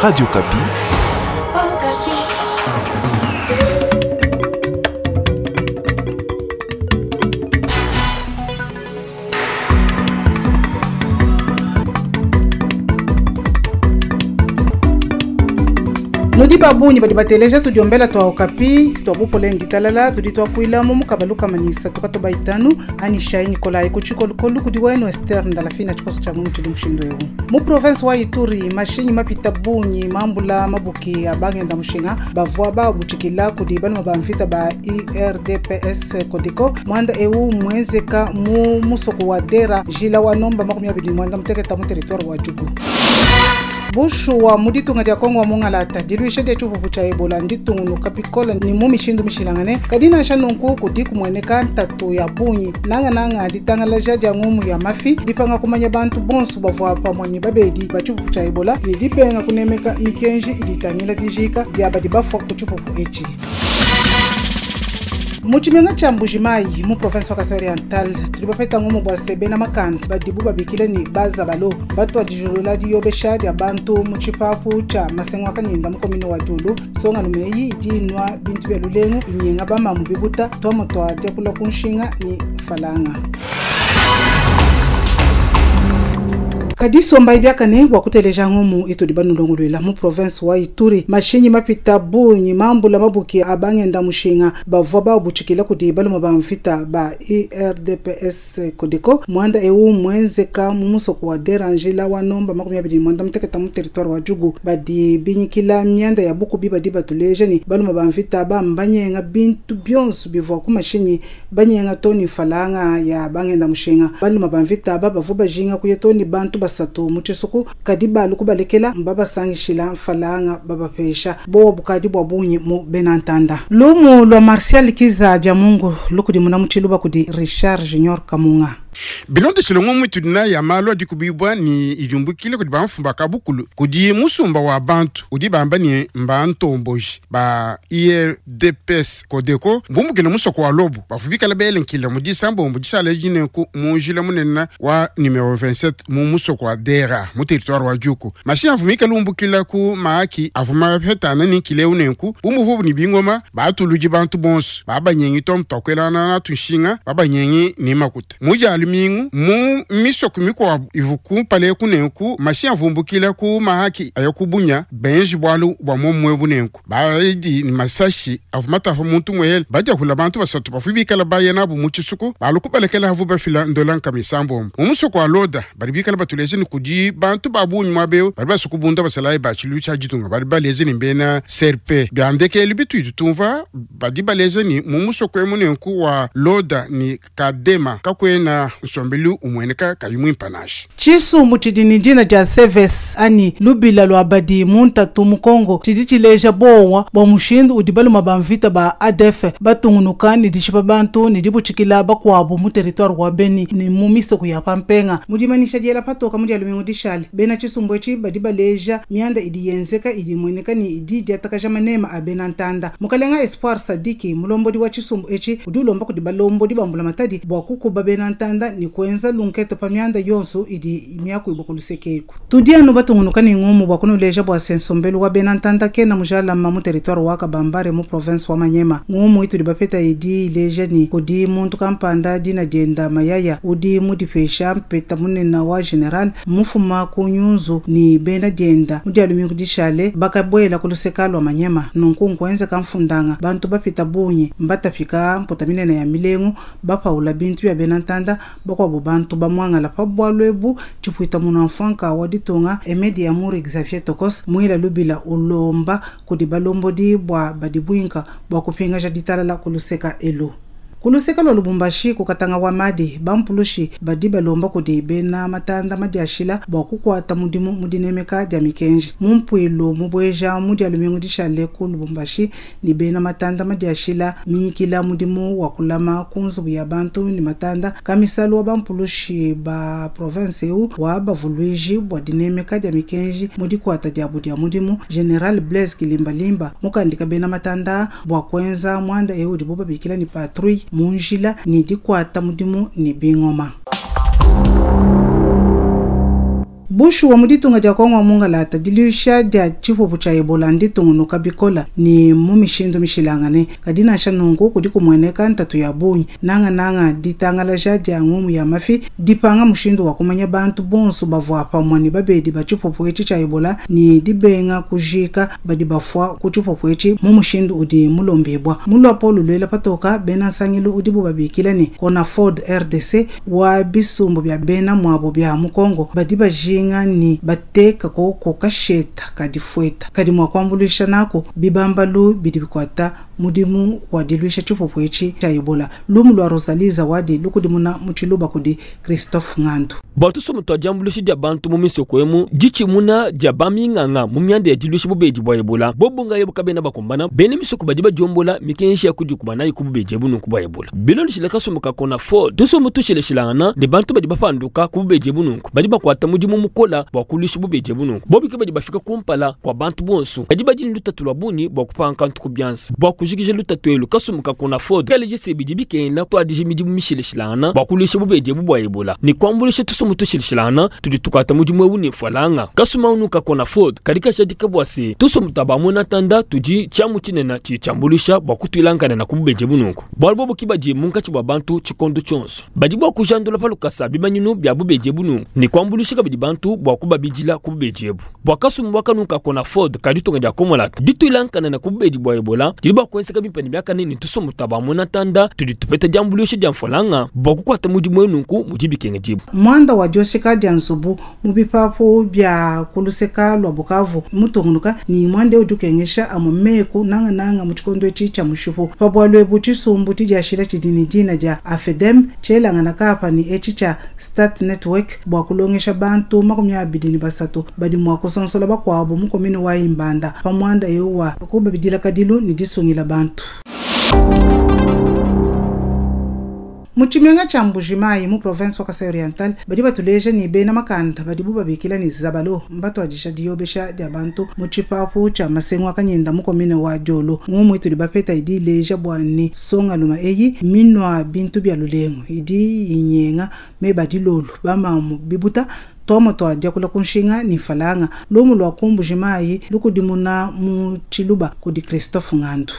Radio Okapi. Nudi ba bungi badi bateleja tudiombela tua Okapi tua bupole ne ditalala tudi tuakuila mu mukaba lukama ne isatu katoba itanu anyi shai Nikolai ku tshikolukolu kudi wenu Esther Ndalafina tshikoso tshia mu tshidi mushindu eu. Mu province wa Ituri mashinyi mapita bungi mambula mabuki a bangenda mushinga bavua babutshikila kudi baluma ba mvita ba URDPS Codeco. Muanda eu muenzeka mu musoko wa Dera jila wa nomba 28 mu territoire wa Djugu. Bushuwa mu ditunga dia Kongo wa mungalata diluisha dia tshipupu tshia Ebola nditungunuka bikole ni mu mishindu mishilangane, kadi nansha nunku kudi kumueneka ntatu ya bungi nangananga ditangalaja dia ngumu ya mafi, dipanga kumanya bantu bonso bavua pamue ne babedi ba tshipupu tshia Ebola ne dibenga kunemeka mikenji idi itangila dijika dia badi bafua ku tshipupu etshi. Mu tshimenga tshia Mbujimayi mu province wa Kasai Oriental tudi bapeta ngumu bua se bena makanda badibu babikile ne bazabalo batuadijulula diyobesha dia bantu mu tshipapu tshia Masengu Kanyinda mu commune wa Diulu. Songalume eyi idi inua bintu bia lulengu inyenga bamamu bibuta tuamu tua diakula ku nshinga ne falanga. Kadi somba biakane bua kuteleja ngumu itudi banulongoluela mu province wa Ituri mashinyi mapita bungi mambula mabuki a bangenda mushinga bavua babutshikila kudi baluma ba mvita ba URDPS Codeco. Muanda eu muenzeka mu musoko wa Derangila wa nomba 28 mu territoire wa Djugu. Badi binyikila mianda ya bukubi badi batuleja ni baluma ba mvita ba mbanyenga bintu bionso bivua ku mashinyi banyenga toni falanga ya bangenda mushinga. Baluma ba mvita ba bavua bajinga kuya toni bantu basatu mu tshisuku kadi balu kubalekela mbabasangishila mfalanga babapesha bowa bukadi bwa bungi mu benantanda. Lumu lwa Martial Kiza bya Mungu lukudi muna mutshiluba kudi Richard Junior Kamunga. Bilondeshile ngumu itudi nayi ya malu adi kubibwa ni idiumbukile kudi bamfumba kabukulu kudi musumba wa bantu udi bamba ni mbantomboji ba IRDPS Codeco mbumbukile musoko wa Lobo bavubikala belenkile mu disambombo dishala jinenku mu njila munene wa numero 27 mu musoko wa Dera mu territoire wa Djugu. Mashinyi avumikala umbukila ku maaki avuma petana ni nkile unenku bumuvubu ni bingoma batuluji bantu bonso babanyengi to mutakwelana na tunshinga babanyengi ni makuta mujali mingu mu misoko mikwabu ivuku pale kunenku mashinyi avumbukila ku mahaki ayakubunya benji bwalu bwa momwe bunenku baidi ni masashi avumata ho muntu mwele bajahula bantu basatu bafubikala baye nabo mu tshisuku balukubalekela havu bafila ndola nkamisambombo mu musoko wa Loda bali bikala batuleze ni kudi bantu babunyi mwabeo bali basukubunda basalaye bachilu cha jitunga bali baleze ni mbena CRP byandekeli bituitu tumva badi baleze ni mu musoko emunenku wa Loda ni Kadema kakwena nsombelu umweneka kayimwe mpanashi. Tshisumbu tshidi ni dina dia Seves ani lubila lwa badi muntatu mu Kongo tshidi tshileja bowa bua mushindu udi baluma ba mvita ba ADF batungunuka ne dishipa bantu ne dibutshikila bakuabu mu territoire wa Beni ne mu misoko ya Pampenga. Mu dimanyisha diela patoka mu dia lumingu dishale bena tshisumbu etshi badi baleja mianda idi yenzeka idi imueneka ne idi diatakaja manema a bena ntanda. Mukalenga Espoir Sadiki mulombodi wa tshisumbu etshi udi ulomba kudi balombodi bambula matadi bua kukuba bena ntanda ni kuenza lunketo pa mianda yonso idi miakuibwa ku lusekeku. Tudi anu batungunuka ne ngumu bua kunuleja bua se nsombelu wa bena ntanda kena mujalama mu territoire wa Kabambare mu province wa Manyema. Ngumu itudi bapeta idi ileja ni kudi muntu kampanda dina dienda Mayaya udi mudipesha mpeta munene wa general mufuma ku nyunzu ni bena dienda mu dia lumingu dishale bakabwela ku luseka lwa Manyema. Nunku nkuenza kamfundanga bantu bapita bungi mbatapika mputa minene ya milengu bapaula bintu ya bena ntanda bakwabo bantu bamwangala pa bwalu ebu tshipuita munu mfanka wa ditunga Emedi Amour Xavier Tokos mwila lubila ulomba kudi balombodi bwa badibwinka bwa kupingaja ditalala kuluseka elu. Kuluseka lwa Lubumbashi kukatanga wa madi bampulushi badi balomba kudi bena matanda madiashila bua kukwata mudimu mudinemeka dia mikenji. Mumpuilu mubweja mudi alumingu dishale ku Lubumbashi ni bena matanda madiashila minyikila mudimu wa kulama ku nzubu ya bantu ni matanda kamisalu wa bampulushi ba province eu wa bavuluiji bua dinemeka dia mikenji mudikwata diabu dia mudimu. General Blaise Kilimbalimba mukandika bena matanda bua kuenza mwanda eu dibo babikila ni patrouille munjila ni dikwata mudimu ni bingoma. Bushuwa, mu ditunga dia Kongo wa mungalata, diluisha dia tshipupu tshia Ebola nditungunuka bikola ne mu mishindu mishilangane. Kadi nansha nunku, kudi kumueneka ntatu ya bungi, nangananga ditangalaja dia ngumu ya mafi, dipanga mushindu wa kumanya bantu bonso bavua pamue ne babedi ba tshipupu etshi tshia Ebola ne dibenga kujika badi bafua ku tshipupu etshi mu mushindu udi mulombibua. Mu luapolo luela patoka, bena nsangilu udibu babikila ne, Conafod RDC, wa bisumbu bia bena muabo bia mu Kongo badi bajinga ne bateka koko kasheta ka difueta kadi mua kuambuluisha naku bibambalu bidi bikuata mudimu wa diluisha tshipupu etshi tshia Ebola. Lumu lua Rosalie Zawadi lukudimuna mu Tshiluba kudi Christophe Ngandu. Bua tusumbu tua diambuluisha dia bantu mu misoko emu, ditshimuna dia baminganga mu mianda ya diluisha bubedi bua Ebola, bobu ngayebu kabena bakumbana. Bena misoko badi badiombola mikenji ya kudikuba nayi ku bubedi ebu nunku bua Ebola. Bilondeshile kasumbu ka Conafor, tusumbu tushilashilangana ne bantu badi bapanduka ku bubedi ebu nunku badi bakuata mudimu mukola bua kuluisha bubedi ebu nunku. Bobu ke badi bafika kumpala kua bantu bonso, kadi badi ne lutatu lua bungi bua kupanga kantu ku bianza. Bua kujikija lutatu elu, kasumbu ka Conafor kaleje se bidi bikengela kutuadija midimu mishilashilangana bua kuluisha bubedi ebu bua Ebola ne kuambuluisha tusumbu tushilashilangana tudi tukuata mudimu eu ne mfualanga. Kasumbu anu ka Conafor kadi kajadika bua se tusumbu tua ba muena ntanda tudi tshiamu tshinene tshidi tshiambuluisha bua kutuilangana ku bubedi ebu nunku, bualu bobu ke badi munkatshi mua bantu tshikondo tshionso. Badi bua kujandula pa lukasa bimanyinu bia bubedi ebu nunku ne kuambuluisha kabidi bantu bua kubabidila ku bubedi ebu. Bua kasumbu aka nunku ka Conafod ka ditunga dia Komolata, dituilangana ku bubedi bua Ebola didi bua kuenzeka bimpe ne biakane ne tusumbu tua ba muena ntanda tudi tupeta diambuluisha dia mfualanga bua kukuata mudimu eu nunku mudi bikengedibua. Muanda wa dioshika dia nzubu mu bipapu bia ku luseka lua Bukavu mutungunuka ne muanda eu udi ukengesha amue meku nangananga mu tshikondo etshi tshia mushipu. Pa bualu ebu, tshisumbu tshidiashila tshidi ne dina dia AFEDEM tshielangana kapa ne etshi tshia Stat Network bua kulongesha bantu 23 badi mua kusonsola bakuabu mu commune wa Imbanda pa muanda eu wa kubabidila kadilu ne disungila bantu. Mu tshimenga tshia Mbuji-Mayi mu province wa Kasai Oriental badi batuleja ne bena makanda badibu babikila ne Zabalo mbatuadija diyobesha dia bantu mu tshipapu tshia Masengu a Kanyenda mu commune wa Diolo. Ngumu itudi bapeta idi ileja bua ne nsongaluma eyi minua bintu bia lulengu idi inyenga meba dilolu bamamu bibuta tuamua tua diakula ku nshinga ne mfalanga. Lumu lua ku Mbuji-Mayi lukudimuna mu Tshiluba kudi Christophe Ngandu.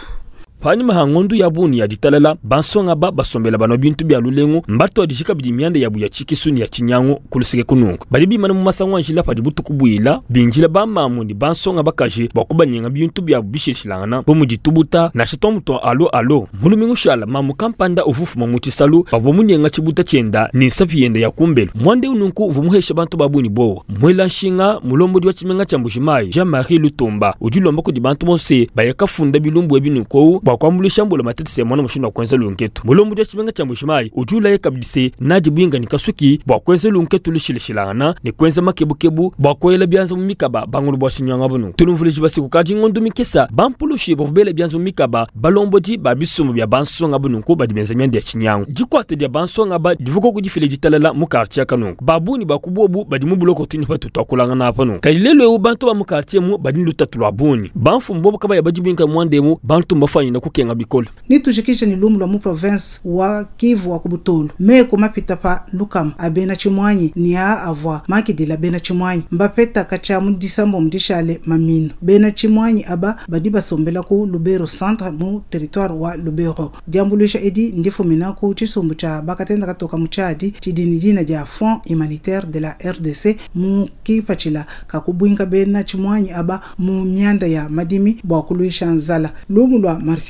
Panyima ha ngondu ya bungi ya ditalala, bansonga ba basombela banua bintu bia lulengu mbatuadije kabidi mianda yabu ya tshikisu ne ya tshinyangu ku luseke kununku. Badi bimana mu masangu a njila padi butuku buila, binjila bamamu ne bansonga bakaji bua kubanyenga bintu biabu bishilashilangana bu mudi tubuta nansha tuamu tua alo alo. Mu lumingu shala, mamu kampanda uvua ufuma mu tshisalu bavua munyenga tshibuta tshienda ne nsapi yenda ya kumbelu. Muanda eu nunku uvua muhesha bantu ba bungi buowa. Muela nshinga mulombodi wa tshimenga tshia Mbuji-Mayi Jean-Marie Lutumba udi ulomba kudi bantu bonso baya kafunda bilumbu ebi nunku bua kuambuluisha mbula matete se muana mushindu wa kuenza lunketu. Mulombodi wa tshimenga tshia Mbuji-Mayi udi ulaya kabidi se nadi buinga ne kasuki bua kuenza lunketu lushilashilangana ne kuenza makebukebu bua kuela bianza mu mikaba bangulu bua tshinyanga bunu. Tulumvuluji basiku kadi ngondu mikesa bampulushi bavua bela bianza mu mikaba balombodi ba bisumbu bia bansonga bununku badi benza mianda ya tshinyangu. Dikuata dia bansonga ba divuka kudifila ditalala mu quartier kanunku. Ba bungi ba ku bobu badi mu buloko tuni patu tuakulangana apa nunku. Kadi lelu eu bantu ba mu quartier mu badi ne lutatu lua bungi. Bamfumu bobu kabaya badi buinka muanda emu, bantu mbafanyina kukenga bikole. Nitujikije ne lumu lua mu province wa Kivu wa ku Butolu. Meku mapita pa lukama a bena tshimuanyi ne a avua makidila bena tshimuanyi mbapeta katshia mu disambo dishale maminu. Bena tshimuanyi aba badi basombela ku Lubero centre mu territoire wa Lubero. Diambuluisha edi ndifumina ku tshisumbu tshia bakatenda katoka mu Tchad tshidi ne dina dia Fonds humanitaire de la RDC mu kipatshila ka kubuinka bena tshimuanyi aba mu mianda ya madimi bua kuluisha nzala. Lumu lua Martial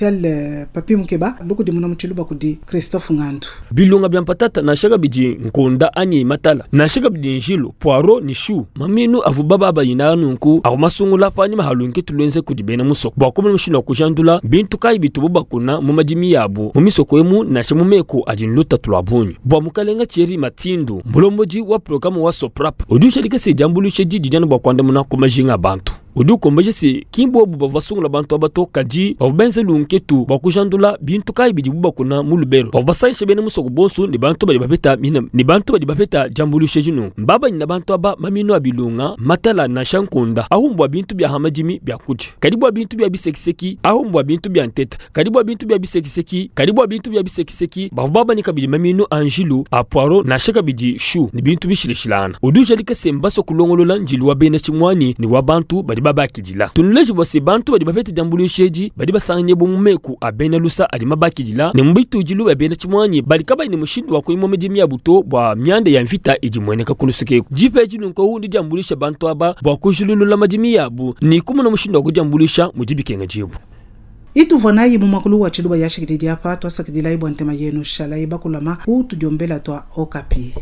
Papi Mukeba lukudimuna mu Tshiluba kudi Christophe Ngandu. Bilunga bia mpatata nansha kabidi nkonda anyi matala nansha kabidi njilu poiro ne shu maminu avu baba bayina nunku avu masungula panyima ha lunketu luenze kudi bena musoko bua kumona mushindu wa kujandula bintu kayi bitubu bakuna mu madimi yabu mu misoko emu nansha mu meku adi lutatu lua bungi. Bua mukalenga Thierry Matindu mulombodi wa programme wa Soprap udi ujadika se diambuluisha didi diana bua kuandamuna ku majinga a bantu. Udi ukombeja se ki mbobu bavua basungula bantu aba to, kadi bavua benze lunketu bua kujandula bintu kayi bidibu bakuna mu Lubero. Bavua basangisha bena musoko bonso ne bantu badi bapeta mina ne bantu badi bapeta diambuluisha edi nunku. Mbabanyina bantu aba maminu a bilunga, matala nansha nkunda ahu mbua bintu bia ha madimi bia kudia. Kadi bua bintu bia bisekiseki ahu mbua bintu bia nteta. Kadi bua bintu bia bisekiseki, kadi bua bintu bia bisekiseki, bavua babanye kabidi maminu a njilu, a poireau, nansha kabidi chou ne bintu bishilashilangana. Udi ujadika se, mbasue kulongolola njilu wa bena tshimuanyi ne wa bantu badi babakidila. Tunuleje bua se, bantu badi bapete diambuluisha edi badi basanganyibua mu meku a bena lusa adi mabakidila ne mu bitudilu bia bena tshimuanyi badi kabayi ne mushindu wa kuimua midimu yabu to bua mianda ya mvita idi imueneka ku luseke eku. Dipa edi nunku ndidiambuluishe bantu aba bua kujululula madimi yabu ne kumona mushindu wa kudiambuluisha mudi bikengedibua. Ituvua nayi mu muakulu wa tshiluba yashikididi apa. Tuasakidilayi bua ntema yenu. Shalayi bakulama ku tudiombela tua Okapi.